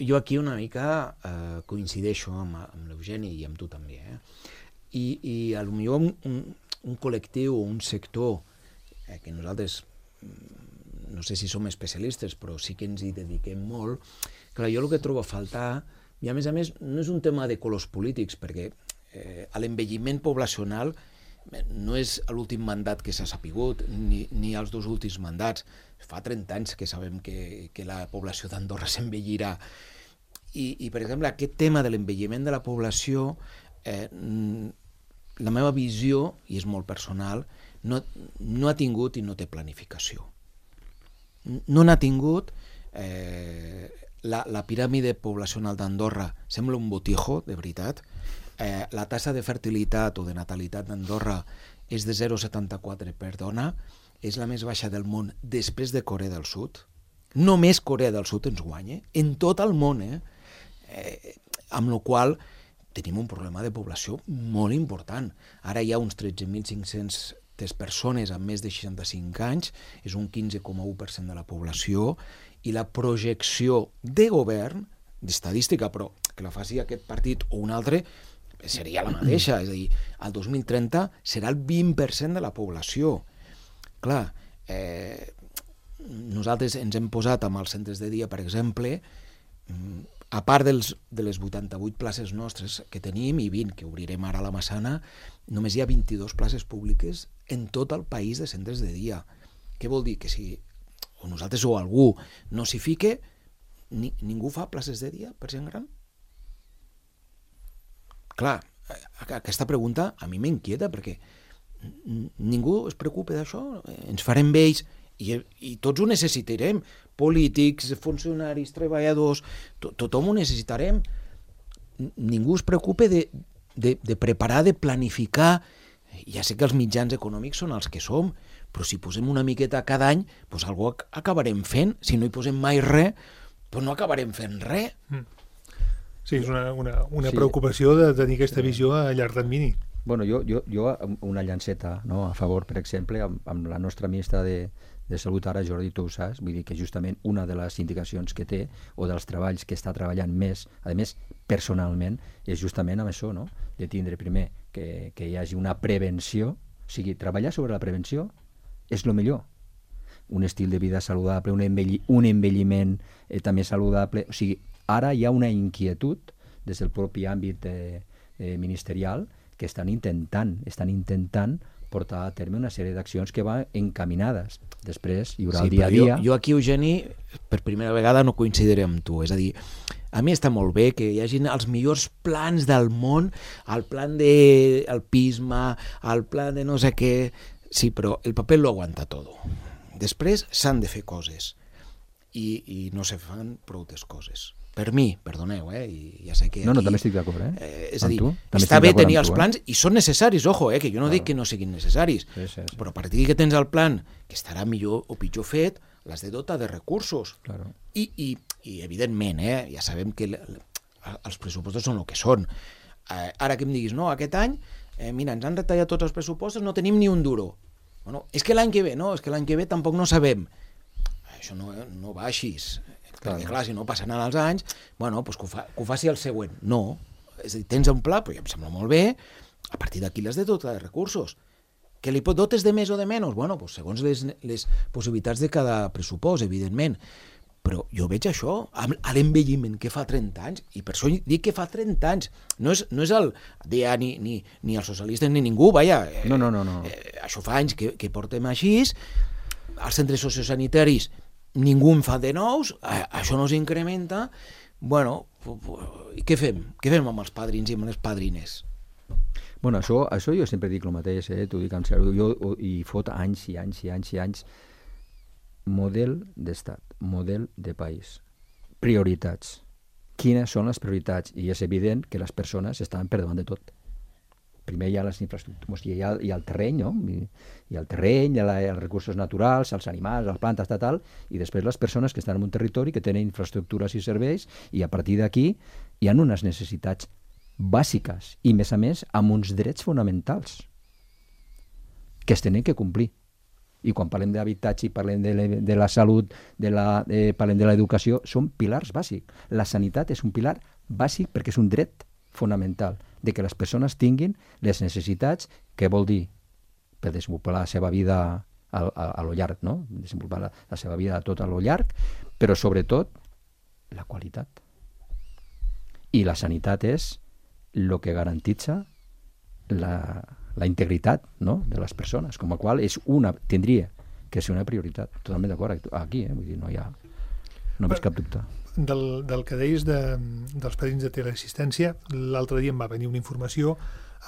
Jo aquí una mica eh, coincideixo amb, amb l'Eugeni i amb tu també, eh? I, i a lo millor un, un, un col·lectiu o un sector eh, que nosaltres no sé si som especialistes, però sí que ens hi dediquem molt. Clar, jo el que trobo a faltar, i a més a més no és un tema de colors polítics, perquè eh, l'envelliment poblacional no és l'últim mandat que s'ha sapigut, ni, ni els dos últims mandats. Fa trenta anys que sabem que, que la població d'Andorra s'envellirà. I, I, per exemple, aquest tema de l'envelliment de la població, eh, la meva visió, i és molt personal, no, no ha tingut i no té planificació. No n'ha tingut, eh, la, la piràmide poblacional d'Andorra sembla un botijo, de veritat. Eh, la tassa de fertilitat o de natalitat d'Andorra és de zero coma setanta-quatre per dona, és la més baixa del món després de Corea del Sud. Només Corea del Sud ens guanya, en tot el món, eh? Eh, amb la qual tenim un problema de població molt important. Ara hi ha uns tretze mil cinc-cents persones amb més de seixanta-cinc anys, és un quinze coma u per cent de la població, i la projecció de govern, d'estadística, però que la faci aquest partit o un altre, seria la mateixa, és a dir, al dos mil trenta serà el vint per cent de la població. Clar, eh, nosaltres ens hem posat amb els centres de dia, per exemple, a part dels, de les vuitanta-vuit places nostres que tenim i vint que obrirem ara a la Massana, només hi ha vint-i-dues places públiques en tot el país de centres de dia. Què vol dir? Que si o nosaltres o algú no s'hi fique, ni, ningú fa places de dia per gent gran? Clar, aquesta pregunta a mi m'inquieta perquè ningú es preocupa d'això, ens farem vells i, i tots ho necessitarem, polítics, funcionaris, treballadors, to, tothom ho necessitarem. Ningú es preocupa de, de, de preparar, de planificar. Ja sé que els mitjans econòmics són els que som, però si posem una miqueta cada any, doncs algú acabarem fent. Si no hi posem mai res, doncs no acabarem fent res. Sí, és una, una, una sí. preocupació de tenir aquesta visió a llarg termini. Bueno, jo, jo, jo una llanceta, no, a favor, per exemple, amb, amb la nostra ministra de, de Salut ara, Jordi, tu ho saps, vull dir que justament una de les indicacions que té o dels treballs que està treballant més, a més, personalment, és justament amb això, no? De tindre primer que, que hi hagi una prevenció, o sigui, treballar sobre la prevenció és el millor. Un estil de vida saludable, un, envelli, un envelliment eh, també saludable, o sigui, ara hi ha una inquietud des del propi àmbit eh, eh, ministerial que estan intentant, estan intentant portar a terme una sèrie d'accions que van encaminades. Després hi haurà sí, el dia a dia... Jo, jo aquí, Eugeni, per primera vegada no coincidiré amb tu. És a dir, a mi està molt bé que hi hagin els millors plans del món, el plan d'alpisme, el plan de no sé què... Sí, però el paper lo aguanta tot. Després s'han de fer coses i, i no se fan prou coses. Per mi, perdoneu, eh? I ja sé que aquí, no, no, també estic d'acord, eh? eh és a dir, està bé tenir els plans, eh? i són necessaris, ojo, eh? Que jo no claro. dic que no siguin necessaris, sí, sí, sí. Però a partir que tens el plan, que estarà millor o pitjor fet, l'has de dotar de recursos. Claro. I, i, I, evidentment, eh? Ja sabem que l, l, els pressupostos són el que són. Eh, ara que em diguis, no, aquest any, eh, mira, ens han retallat tots els pressupostos, no tenim ni un duro. Bueno, és que l'any que ve, no, és que l'any que ve tampoc no sabem. Això no, no va així. Perquè, clar, si no passen els anys, bueno, doncs que ho, fa, que ho faci el següent. No. És a dir, tens un pla, però ja em sembla molt bé, a partir d'aquí l'has de dotar de recursos. Que li dotes de més o de menys? Bueno, doncs segons les, les possibilitats de cada pressupost, evidentment. Però jo veig això, a l'envelliment que fa trenta anys, i per això dic que fa trenta anys. No és, no és el D A ni, ni, ni els socialistes ni ningú, vaja. No, no, no. no. Eh, això fa anys que, que portem així. Els centres sociosanitaris ningú en fa de nous, això no s'incrementa. Bueno, i què fem? Què fem amb els padrins i amb les padrines? Bueno, això, això jo sempre dic el mateix, eh? T'ho dic en sèrio. Jo hi fot anys i anys i anys i anys. Model d'estat, model de país, prioritats. Quines són les prioritats? I és evident que les persones estan per davant de tot. Primer hi ha les infraestructures, hi ha, hi ha el terreny, no? Hi, hi ha el terreny, hi ha els recursos naturals, els animals, les plantes, tal, tal, i després les persones que estan en un territori que tenen infraestructures i serveis, i a partir d'aquí hi ha unes necessitats bàsiques i, més a més, amb uns drets fonamentals que es tenen que complir. I quan parlem d'habitatge i parlem de, le, de la salut, de la, eh, parlem de l'educació, són pilars bàsics. La sanitat és un pilar bàsic perquè és un dret fonamental de que les persones tinguin les necessitats, que vol dir per desenvolupar la seva vida a, a, a lo llarg, no? Desenvolupar la, la seva vida a tot a lo llarg, però sobretot la qualitat. I la sanitat és el que garantitza la, la integritat, no?, de les persones, com a qual és una, tindria que ser una prioritat. Totalment d'acord aquí, eh? Vull dir, no hi ha no veig cap dubte. Del, del que deies de, dels padrins de teleassistència, l'altre dia em va venir una informació.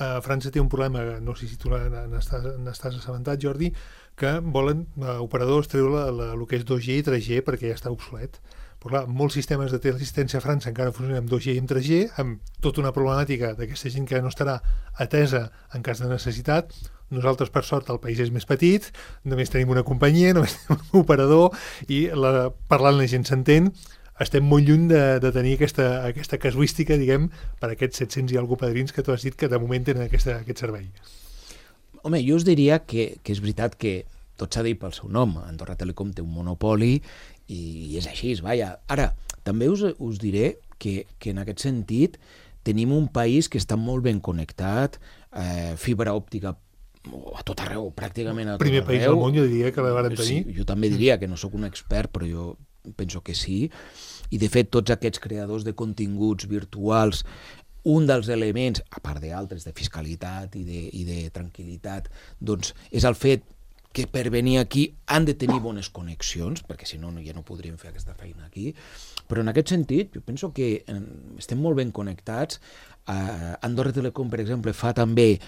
A França té un problema, no sé si tu n'estàs, n'estàs assabentat, Jordi, que volen uh, operadors treure el que és dos G i tres G perquè ja està obsolet. Però clar, molts sistemes de teleassistència a França encara funcionen amb dos G i amb tres G, amb tota una problemàtica d'aquesta gent que no estarà atesa en cas de necessitat. Nosaltres, per sort, el país és més petit, només tenim una companyia, només tenim un operador, i la, parlant la gent s'entén. Estem molt lluny de, de tenir aquesta, aquesta casuística, diguem, per aquests set-cents i alguna padrins que tu has dit que de moment tenen aquesta, aquest servei. Home, jo us diria que, que és veritat que tot s'ha dit pel seu nom. Andorra Telecom té un monopoli i, i és així, vaja. Ara, també us, us diré que, que en aquest sentit tenim un país que està molt ben connectat, eh, fibra òptica a tot arreu, pràcticament a tot Primer arreu. país del món, jo diria que la vàrem tenir. Sí, jo també diria que no sóc un expert, però jo penso que sí. I de fet tots aquests creadors de continguts virtuals, un dels elements, a part d'altres, de fiscalitat i de, i de tranquil·litat, doncs és el fet que per venir aquí han de tenir bones connexions, perquè si no ja no podríem fer aquesta feina aquí. Però en aquest sentit, jo penso que estem molt ben connectats. Uh, Andorra Telecom, per exemple, fa també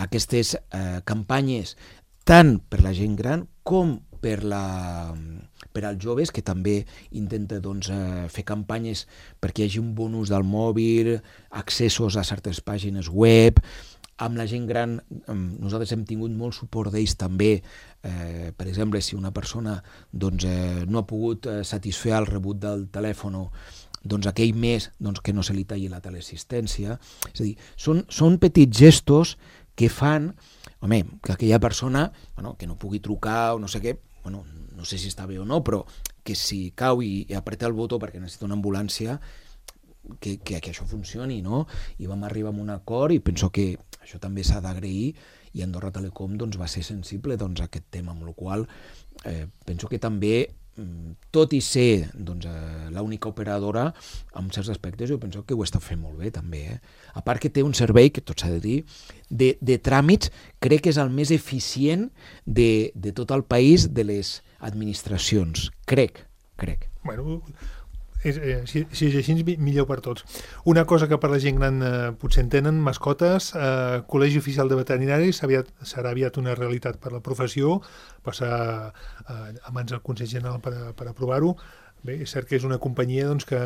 aquestes uh, campanyes tant per la gent gran com per, la, per als joves, que també intenta doncs, uh, fer campanyes perquè hi hagi un bon ús del mòbil, accessos a certes pàgines web. Amb la gent gran, nosaltres hem tingut molt suport d'ells també. Eh, per exemple, si una persona doncs, eh, no ha pogut eh, satisfer el rebut del telèfon, doncs aquell mes doncs, que no se li talli la teleassistència. És a dir, són, són petits gestos que fan, home, que aquella persona bueno, que no pugui trucar o no sé què, bueno, no sé si està bé o no, però que si cau i, i apreta el botó perquè necessita una ambulància, que, que, que això funcioni, no? I vam arribar a un acord i penso que això també s'ha d'agrair, i Andorra Telecom doncs, va ser sensible doncs, a aquest tema, amb la qual eh, penso que també, tot i ser doncs, eh, l'única operadora, en certs aspectes jo penso que ho està fent molt bé també. Eh? A part que té un servei, que tot s'ha de dir, de, de tràmits, crec que és el més eficient de, de tot el país, de les administracions. Crec, crec. Bueno, és, eh, si, si és així, millor per tots. Una cosa que per la gent gran eh, potser en tenen, mascotes, eh, Col·legi Oficial de Veterinaris aviat, serà aviat una realitat per la professió, passar eh, a mans del Consell General per, per aprovar-ho. Bé, és cert que és una companyia doncs, que,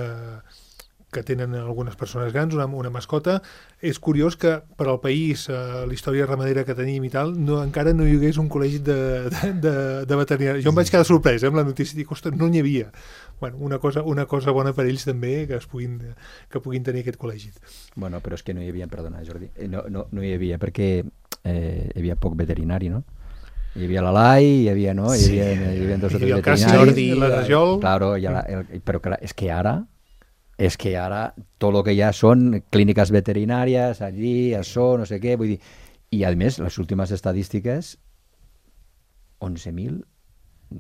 que tenen algunes persones grans, una, una mascota. És curiós que per al país, eh, la història ramadera que tenim i tal, no, encara no hi hagués un col·legi de, de, de, de veterinaris. Jo em vaig quedar sorprès eh, amb la notícia, dic, ostres, no n'hi havia. Bueno, una cosa, una cosa bona per ells també, que, es puguin, que puguin tenir aquest col·legi. Bueno, però és que no hi havia, perdona Jordi, no, no, no hi havia perquè eh, hi havia poc veterinari, no? Hi havia l'Alai, hi havia, no? Hi havia, sí. hi havia dos o tres veterinaris. Jordi, la Rajol. Claro, la, el, però clar, és que ara és que ara tot el que hi ha són clíniques veterinàries, allí, això, no sé què, vull dir, i a més, les últimes estadístiques, onze mil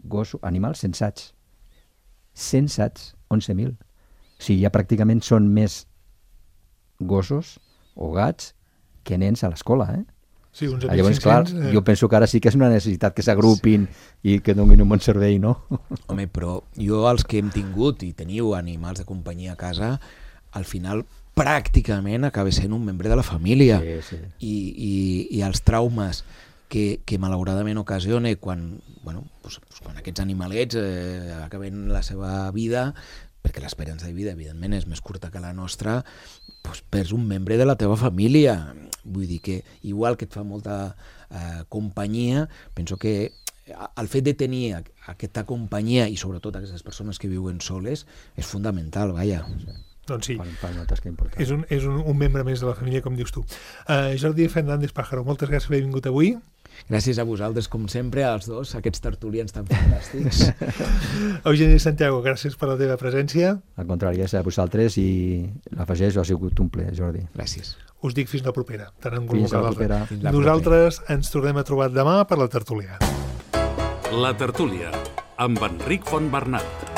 gossos, animals censats. Censats, onze mil. O sigui, ja pràcticament són més gossos o gats que nens a l'escola, eh? Sí, uns llavors, clar, eh... jo penso que ara sí que és una necessitat que s'agrupin sí. i que donin un bon servei, no? Home, però jo els que hem tingut i teniu animals de companyia a casa, al final pràcticament acaba sent un membre de la família. Sí, sí. I, i, i els traumes que, que malauradament ocasiona quan, bueno, pues, pues quan aquests animalets eh, acaben la seva vida, perquè l'esperança de vida, evidentment, és més curta que la nostra, pues, perds un membre de la teva família. Vull dir que, igual que et fa molta eh, companyia, penso que el fet de tenir aquesta companyia i sobretot aquestes persones que viuen soles és fundamental, vaja. Doncs sí, Fan, fan una tasca important. és, un, és un, un membre més de la família, com dius tu. Uh, Jordi Fernández Pájaro, moltes gràcies per haver vingut avui. Gràcies a vosaltres, com sempre, als dos, aquests tertulians tan fantàstics. Eugeni Santiago, gràcies per la teva presència. Al contrari, és a vosaltres i l'afegeixo, ha sigut un plaer, Jordi. Gràcies. Us dic fins la propera. Tant en Fins a la propera. Fins la Nosaltres ens tornem a trobar demà per la tertúlia. La tertúlia, amb Enric Fontbernat.